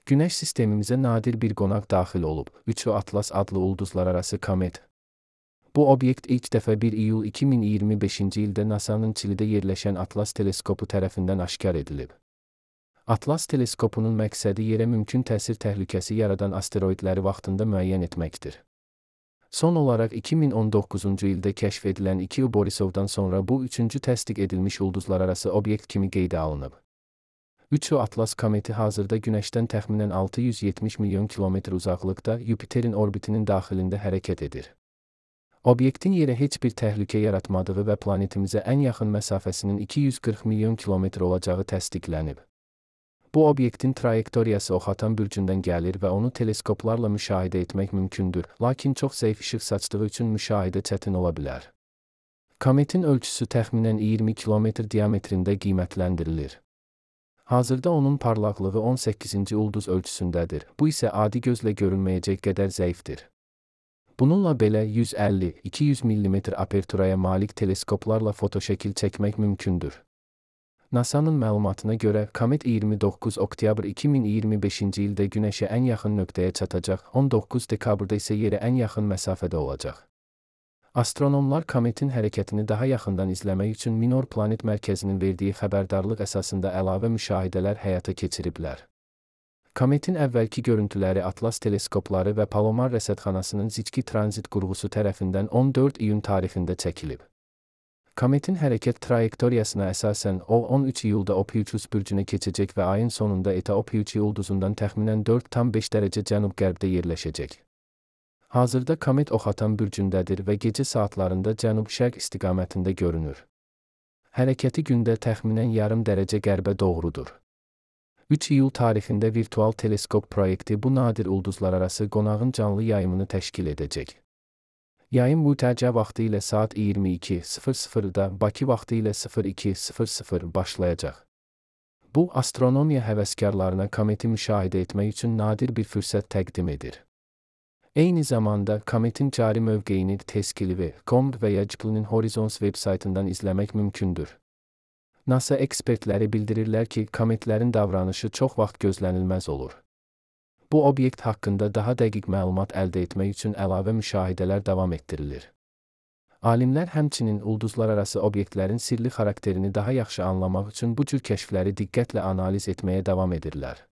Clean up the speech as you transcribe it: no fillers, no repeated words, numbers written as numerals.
Günəş sistemimizə nadir bir qonaq daxil olub, Üçü Atlas adlı ulduzlararası komet. Bu obyekt ilk dəfə 1 iyul 2025-ci ildə NASA'nın Çilidə yerləşən Atlas teleskopu tərəfindən aşkar edilib. Atlas teleskopunun məqsədi yerə mümkün təsir təhlükəsi yaradan asteroidləri vaxtında müəyyən etməkdir. Son olaraq 2019-cu ildə kəşf edilən 2 Borisovdan sonra bu üçüncü təsdiq edilmiş ulduzlararası obyekt kimi qeydə alınıb. Üçü Atlas kometi hazırda Günəşdən təxminən 670 milyon kilometr uzaqlıqda Yupiterin orbitinin daxilində hərəkət edir. Obyektin yerə heç bir təhlükə yaratmadığı və planetimizə ən yaxın məsafəsinin 240 milyon kilometr olacağı təsdiqlənib. Bu obyektin trayektoriyası Oxatan bürcündən gəlir və onu teleskoplarla müşahidə etmək mümkündür, lakin çox zəif işıq saçdığı üçün müşahidə çətin ola bilər. Kometin ölçüsü təxminən 20 kilometr diametrində qiymətləndirilir. Hazırda onun parlaqlığı 18-ci ulduz ölçüsündədir, bu isə adi gözlə görünməyəcək qədər zəifdir. Bununla belə 150-200 mm aperturaya malik teleskoplarla fotoşəkil çəkmək mümkündür. NASA'nın məlumatına görə, komet 29 oktyabr 2025-ci ildə Günəşə ən yaxın nöqtəyə çatacaq, 19 dekabrda isə yerə ən yaxın məsafədə olacaq. Astronomlar kometin hərəkətini daha yaxından izləmək üçün Minor Planet Mərkəzinin verdiyi xəbərdarlıq əsasında əlavə müşahidələr həyata keçiriblər. Kometin əvvəlki görüntüləri Atlas teleskopları və Palomar rəsədxanasının Zicki tranzit qurğusu tərəfindən 14 iyun tarixində çəkilib. Kometin hərəkət trayektoriyasına əsasən o 13 iyulda Ophiuchus bürcünə keçəcək və ayın sonunda Eta Ophiuchi ulduzundan təxminən 4,5 dərəcə cənub-qərbdə yerləşəcək. Hazırda komet Oxatan bürcündədir və gecə saatlarında cənub-şərq istiqamətində görünür. Hərəkəti gündə təxminən yarım dərəcə qərbə doğrudur. 3 iyul tarixində virtual teleskop proyekti bu nadir ulduzlararası qonağın canlı yayımını təşkil edəcək. Yayım mütəca vaxtı ilə saat 22:00-da, Bakı vaxtı ilə 02:00 başlayacaq. Bu, astronomiya həvəskarlarına kometi müşahidə etmək üçün nadir bir fürsət təqdim edir. Eyni zamanda, kometin cari mövqeyini teskiliv.com və ya Jplin Horizons veb-saytından izləmək mümkündür. NASA ekspertləri bildirirlər ki, kometlərin davranışı çox vaxt gözlənilməz olur. Bu obyekt haqqında daha dəqiq məlumat əldə etmək üçün əlavə müşahidələr davam etdirilir. Alimlər həmçinin ulduzlararası obyektlərin sirli xarakterini daha yaxşı anlamaq üçün bu cür kəşfləri diqqətlə analiz etməyə davam edirlər.